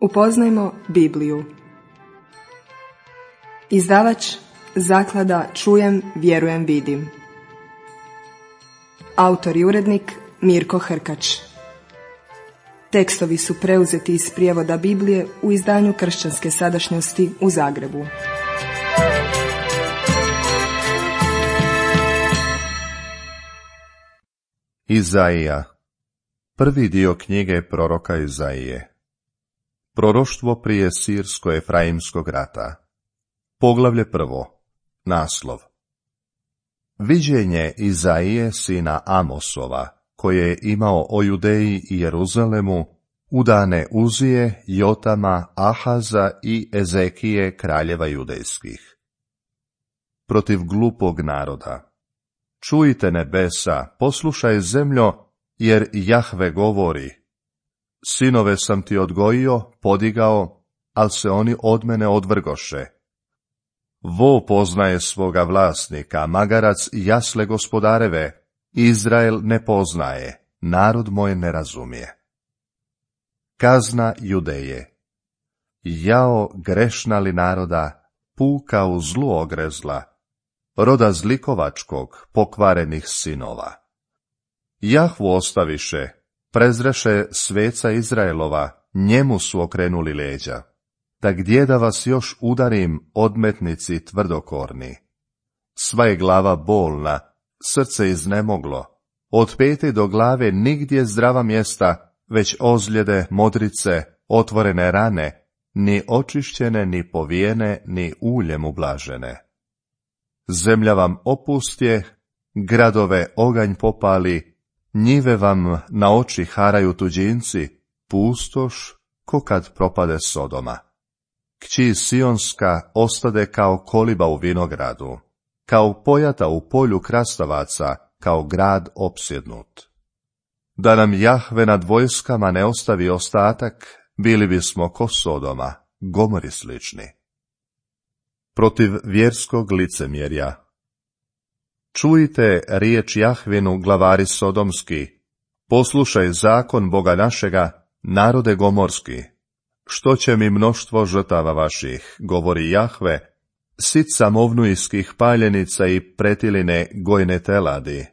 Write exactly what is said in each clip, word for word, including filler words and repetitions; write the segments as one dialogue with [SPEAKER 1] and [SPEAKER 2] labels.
[SPEAKER 1] Upoznajmo Bibliju. Izdavač Zaklada Čujem, vjerujem, vidim. Autor i urednik Mirko Hrkač. Tekstovi su preuzeti iz prijevoda Biblije u izdanju Kršćanske sadašnjosti u Zagrebu.
[SPEAKER 2] Izaija. Prvi dio knjige proroka Izaije. Proroštvo prije Sirsko-Efraimskog rata. Poglavlje prvo. Naslov. Viđenje Izaije sina Amosova, koje je imao o Judeji i Jeruzalemu, u dane Uzije, Jotama, Ahaza i Ezekije, kraljeva judejskih. Protiv glupog naroda. Čujte nebesa, poslušaj zemljo, jer Jahve govori: sinove sam ti odgojio, podigao, al se oni od mene odvrgoše. Vo poznaje svoga vlasnika, magarac jasle gospodareve, Izrael ne poznaje, narod moj ne razumije. Kazna Judeje. Jao grešna li naroda, puka u zlu ogrezla, roda zlikovačkog, pokvarenih sinova. Jahvu ostaviše, prezreše sveca Izraelova, njemu su okrenuli leđa. Da gdje da vas još udarim, odmetnici tvrdokorni? Sva je glava bolna, srce iznemoglo, od pete do glave nigdje zdrava mjesta, već ozljede, modrice, otvorene rane, ni očišćene, ni povijene, ni uljem ublažene. Zemlja vam opustje, gradove oganj popali, njive vam na oči haraju tuđinci, pustoš ko kad propade Sodoma. Kći Sionska ostade kao koliba u vinogradu, kao pojata u polju krastavaca, kao grad opsjednut. Da nam Jahve nad vojskama ne ostavi ostatak, bili bismo ko Sodoma, Gomori slični. Protiv vjerskog licemjerja. Čujte riječ Jahvinu, glavari sodomski, poslušaj zakon Boga našega, narode gomorski. Što će mi mnoštvo žrtava vaših, govori Jahve, sit samovnujskih paljenica i pretiline gojne teladi,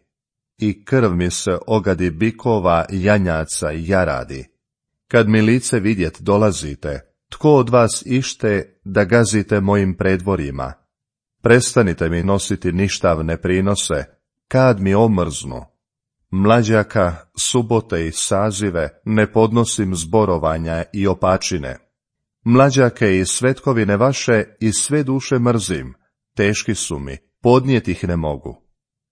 [SPEAKER 2] i krv mi se ogadi bikova, janjaca i jaradi. Kad mi lice vidjet dolazite, tko od vas ište da gazite mojim predvorjima? Prestanite mi nositi ništavne prinose, kad mi omrznu. Mlađaka, subote i sazive ne podnosim zborovanja i opačine. Mlađake i svetkovine vaše i sve duše mrzim, teški su mi, podnijet ih ne mogu.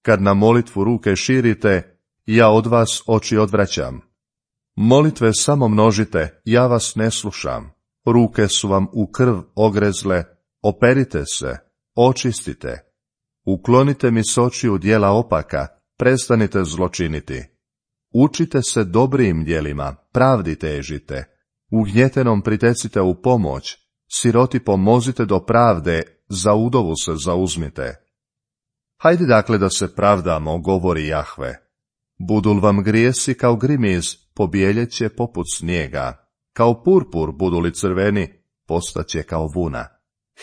[SPEAKER 2] Kad na molitvu ruke širite, ja od vas oči odvraćam. Molitve samo množite, ja vas ne slušam. Ruke su vam u krv ogrezle, operite se, očistite. Uklonite mi s očiju djela opaka, prestanite zločiniti. Učite se dobrim djelima, pravdi težite. Ugnjetenom pritecite u pomoć, siroti pomozite do pravde, za udovu se zauzmite. Hajde dakle da se pravdamo, govori Jahve. Budul vam grijesi kao grimiz, pobijeljeće poput snijega. Kao purpur budu li crveni, postaće kao vuna.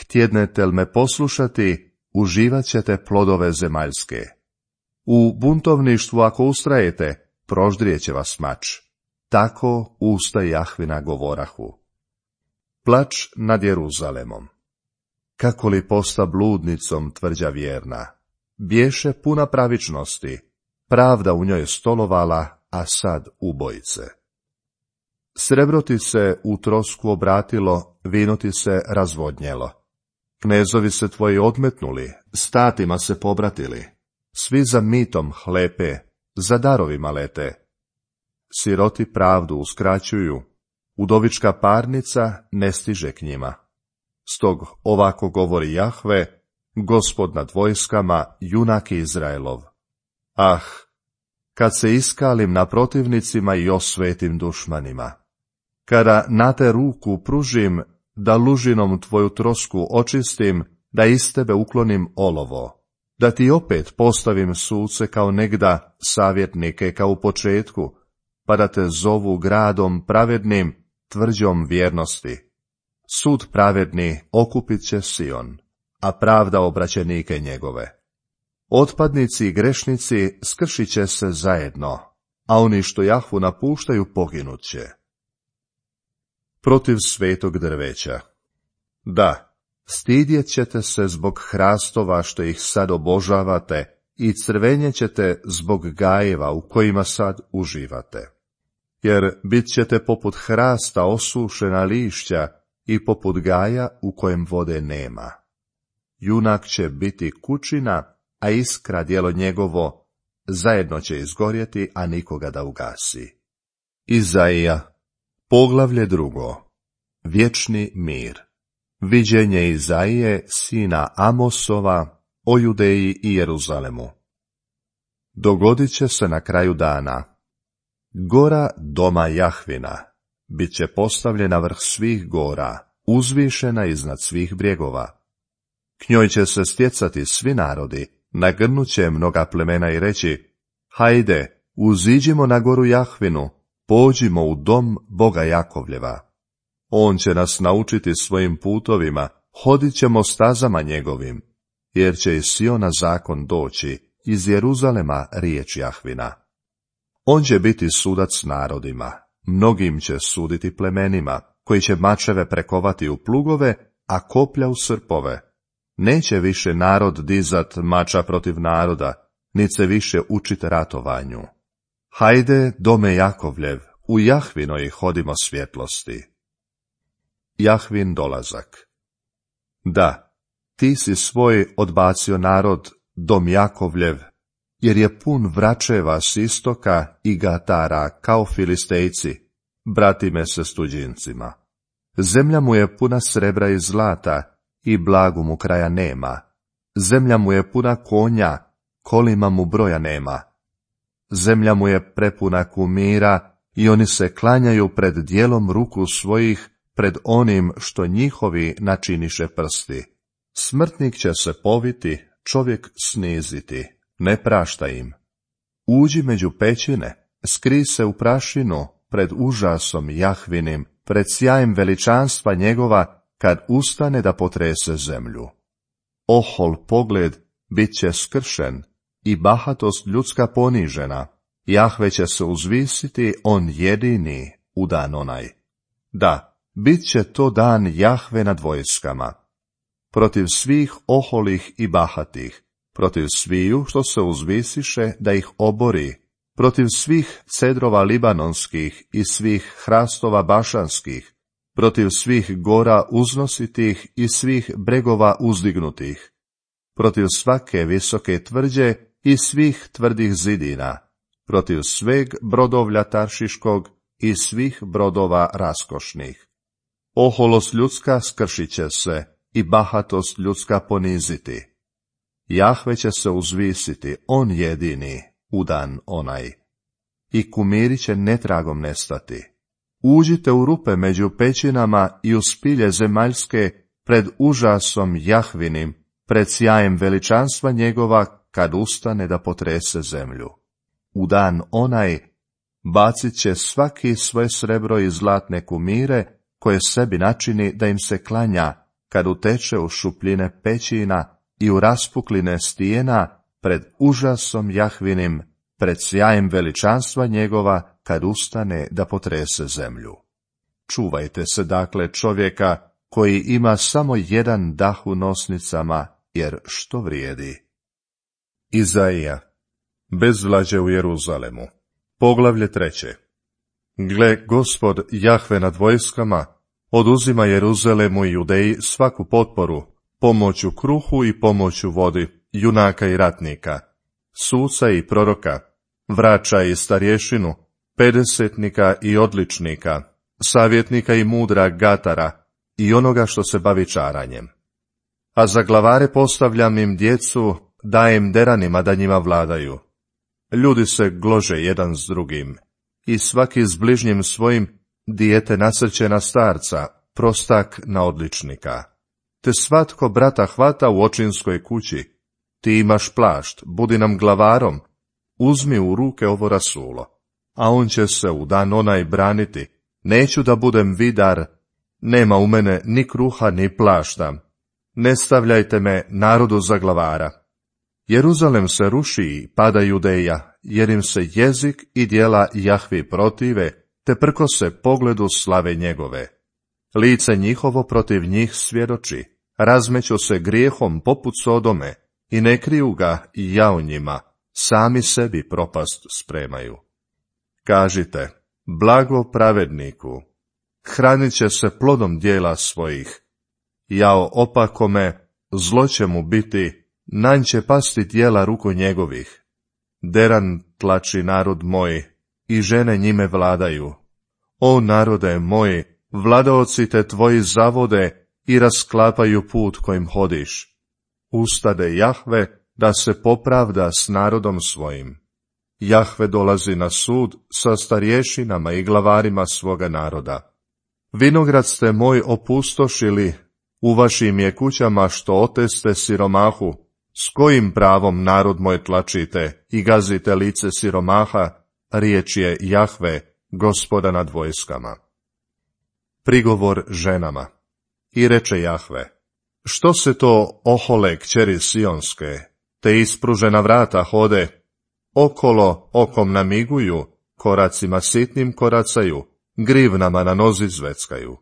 [SPEAKER 2] Htjednete li me poslušati, uživat ćete plodove zemaljske. U buntovništvu ako ustrajete, proždrijeće vas mač. Tako usta Jahvina govorahu. Plač nad Jeruzalemom. Kako li posta bludnicom tvrđa vjerna, bješe puna pravičnosti, pravda u njoj stolovala, a sad ubojice. Srebro ti se u trosku obratilo, vino ti se razvodnjelo. Knezovi se tvoji odmetnuli, statima se pobratili, svi za mitom hlepe, za darovima lete. Siroti pravdu uskraćuju, udovička parnica ne stiže k njima. Stog ovako govori Jahve, Gospod nad vojskama, junak Izraelov. Ah, kad se iskalim na protivnicima i osvetim dušmanima, kada na te ruku pružim, da lužinom tvoju trosku očistim, da iz tebe uklonim olovo, da ti opet postavim suce kao negda, savjetnike kao u početku, pa da te zovu gradom pravednim, tvrđom vjernosti. Sud pravedni okupit će Sion, a pravda obraćenike njegove. Otpadnici i grešnici skršit će se zajedno, a oni što Jahvu napuštaju poginut će. Protiv svetog drveća. Da, stidjet ćete se zbog hrastova što ih sad obožavate i crvenjet ćete zbog gajeva u kojima sad uživate. Jer bit ćete poput hrasta osušena lišća i poput gaja u kojem vode nema. Junak će biti kućina, a iskra djelo njegovo zajedno će izgorjeti, a nikoga da ugasi. Izaija, poglavlje drugo. Vječni mir. Viđenje Izaije, sina Amosova, o Judeji i Jeruzalemu. Dogodit će se na kraju dana. Gora doma Jahvina bit će postavljena vrh svih gora, uzvišena iznad svih brijegova. K njoj će se stjecati svi narodi, nagrnut će mnoga plemena i reći: hajde, uziđimo na goru Jahvinu, pođimo u dom Boga Jakovljeva. On će nas naučiti svojim putovima, hodit ćemo stazama njegovim, jer će iz Siona zakon doći, iz Jeruzalema riječ Jahvina. On će biti sudac narodima, mnogim će suditi plemenima, koji će mačeve prekovati u plugove, a koplja u srpove. Neće više narod dizat mača protiv naroda, nit se više učit ratovanju. Hajde, dome Jakovljev, u Jahvinoj hodimo svjetlosti. Jahvin dolazak. Da, ti si svoj odbacio narod, dom Jakovljev, jer je pun vračeva s istoka i gatara kao filistejci, bratime se s tuđincima. Zemlja mu je puna srebra i zlata, i blagu mu kraja nema. Zemlja mu je puna konja, kolima mu broja nema. Zemlja mu je prepuna kumira, i oni se klanjaju pred dijelom ruku svojih, pred onim što njihovi načiniše prsti. Smrtnik će se poviti, čovjek sniziti, ne prašta im. Uđi među pećine, skri se u prašinu, pred užasom Jahvinim, pred sjajem veličanstva njegova, kad ustane da potrese zemlju. Ohol pogled bit će skršen i bahatost ljudska ponižena. Jahve će se uzvisiti, on jedini, u dan onaj. Da, bit će to dan Jahve nad vojskama. Protiv svih oholih i bahatih, protiv sviju što se uzvisiše da ih obori, protiv svih cedrova libanonskih i svih hrastova bašanskih, protiv svih gora uznositih i svih bregova uzdignutih, protiv svake visoke tvrđe i svih tvrdih zidina, protiv sveg brodovlja taršiškog i svih brodova raskošnih. Oholost ljudska skršit će se i bahatost ljudska poniziti. Jahve će se uzvisiti, on jedini, u dan onaj. I kumiri će netragom nestati. Uđite u rupe među pećinama i u spilje zemaljske pred užasom Jahvinim, pred sjajem veličanstva njegova, kad ustane da potrese zemlju. U dan onaj bacit će svaki svoje srebro i zlatne kumire, koje sebi načini da im se klanja, kad uteče u šupljine pećina i u raspukline stijena, pred užasom Jahvinim, pred sjajem veličanstva njegova, kad ustane da potrese zemlju. Čuvajte se dakle čovjeka koji ima samo jedan dah u nosnicama, jer što vrijedi? Izaija, bezvlađe u Jeruzalemu. Poglavlje treće. Gle, Gospod Jahve nad vojskama oduzima Jeruzalemu i Judeji svaku potporu, pomoć u kruhu i pomoć u vodi, junaka i ratnika, suca i proroka, vrača i starješinu, pedesetnika i odličnika, savjetnika i mudra gatara i onoga što se bavi čaranjem. A za glavare postavljam im djecu, dajem deranima da njima vladaju. Ljudi se glože jedan s drugim, i svaki s bližnjim svojim dijete nasrće na starca, prostak na odličnika. Te svatko brata hvata u očinskoj kući. Ti imaš plašt, budi nam glavarom, uzmi u ruke ovo rasulo, a on će se u dan onaj braniti, Neću da budem vidar, nema u mene ni kruha ni plašta. Ne stavljajte me narodu za glavara. Jeruzalem se ruši i pada Judeja, jer im se jezik i djela Jahvi protive, te prkose pogledu slave njegove. Lice njihovo protiv njih svjedoči, razmeću se grijehom poput Sodome i ne kriju ga i jao njima, sami sebi propast spremaju. Kažite, blago pravedniku, hranit će se plodom djela svojih. Jao opakome, zlo će mu biti, nanj će pasti djela ruku njegovih. Deran tlači narod moj, i žene njime vladaju. O narode moj, vladaoci te tvoji zavode i rasklapaju put kojim hodiš. Ustade Jahve da se popravda s narodom svojim. Jahve dolazi na sud sa starješinama i glavarima svoga naroda. Vinograd ste moj opustošili, u vašim je kućama što oteste siromahu, s kojim pravom narod moj tlačite i gazite lice siromaha, riječ je Jahve, Gospoda nad vojskama. Prigovor ženama. I reče Jahve, što se to ohole kćeri Sionske, te ispružena vrata hode, okolo okom namiguju, koracima sitnim koracaju, grivnama na nozi zveckaju.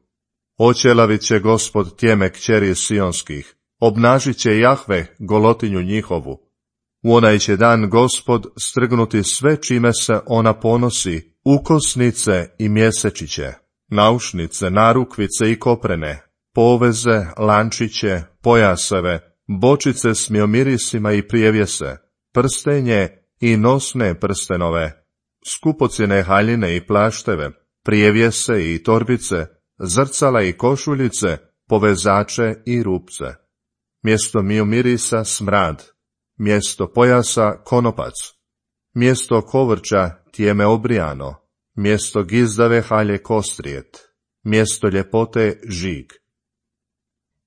[SPEAKER 2] Oćelavit će Gospod tjeme kćeri Sionskih, obnažit će Jahve golotinju njihovu. U onaj će dan Gospod strgnuti sve čime se ona ponosi, ukosnice i mjesečiće, naušnice, narukvice i koprene, poveze, lančiće, pojaseve, bočice s miomirisima i prijevjese, prstenje i nosne prstenove, skupocjene haljine i plašteve, prijevjese i torbice, zrcala i košuljice, povezače i rupce. Mjesto miomirisa smrad, mjesto pojasa konopac, mjesto kovrča tjeme obrijano, mjesto gizdave halje kostrijet, mjesto ljepote žig.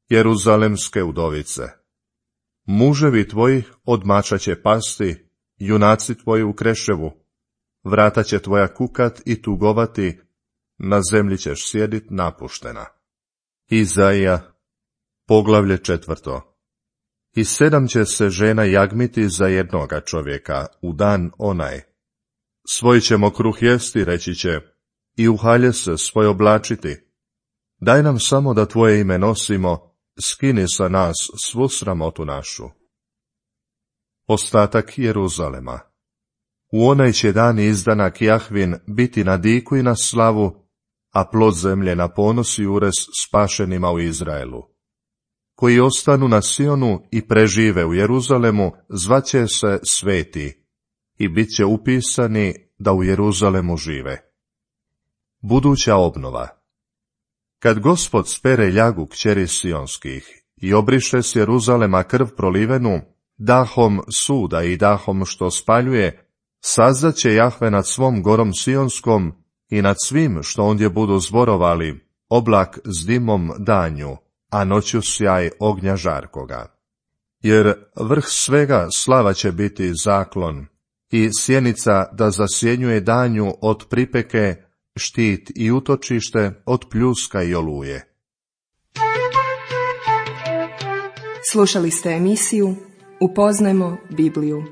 [SPEAKER 2] Jeruzalemske udovice. Muževi tvoji od mača će pasti, junaci tvoji u kreševu, vrata će tvoja kukat i tugovati, na zemlji ćeš sjedit napuštena. Izaija, poglavlje četvrto. I sedam će se žena jagmiti za jednoga čovjeka u dan onaj. Svoj ćemo kruh jesti, reći će, i u halje se svoj oblačiti. Daj nam samo da tvoje ime nosimo, skini sa nas svu sramotu našu. Ostatak Jeruzalema. U onaj će dan izdanak Jahvin biti na diku i na slavu, a plod zemlje na ponos i urez spašenima u Izraelu. Koji ostanu na Sionu i prežive u Jeruzalemu, zvaće se sveti i bit će upisani da u Jeruzalemu žive. Buduća obnova. Kad Gospod spere ljagu kćeri Sionskih i obriše s Jeruzalema krv prolivenu, dahom suda i dahom što spaljuje, sazdat će Jahve nad svom gorom Sionskom i nad svim što ondje budu zborovali, oblak s dimom danju, a noću sjaj ognja žarkoga. Jer vrh svega slava će biti zaklon, i sjenica da zasjenjuje danju od pripeke, štit i utočište od pljuska i oluje.
[SPEAKER 1] Slušali ste emisiju Upoznajmo Bibliju.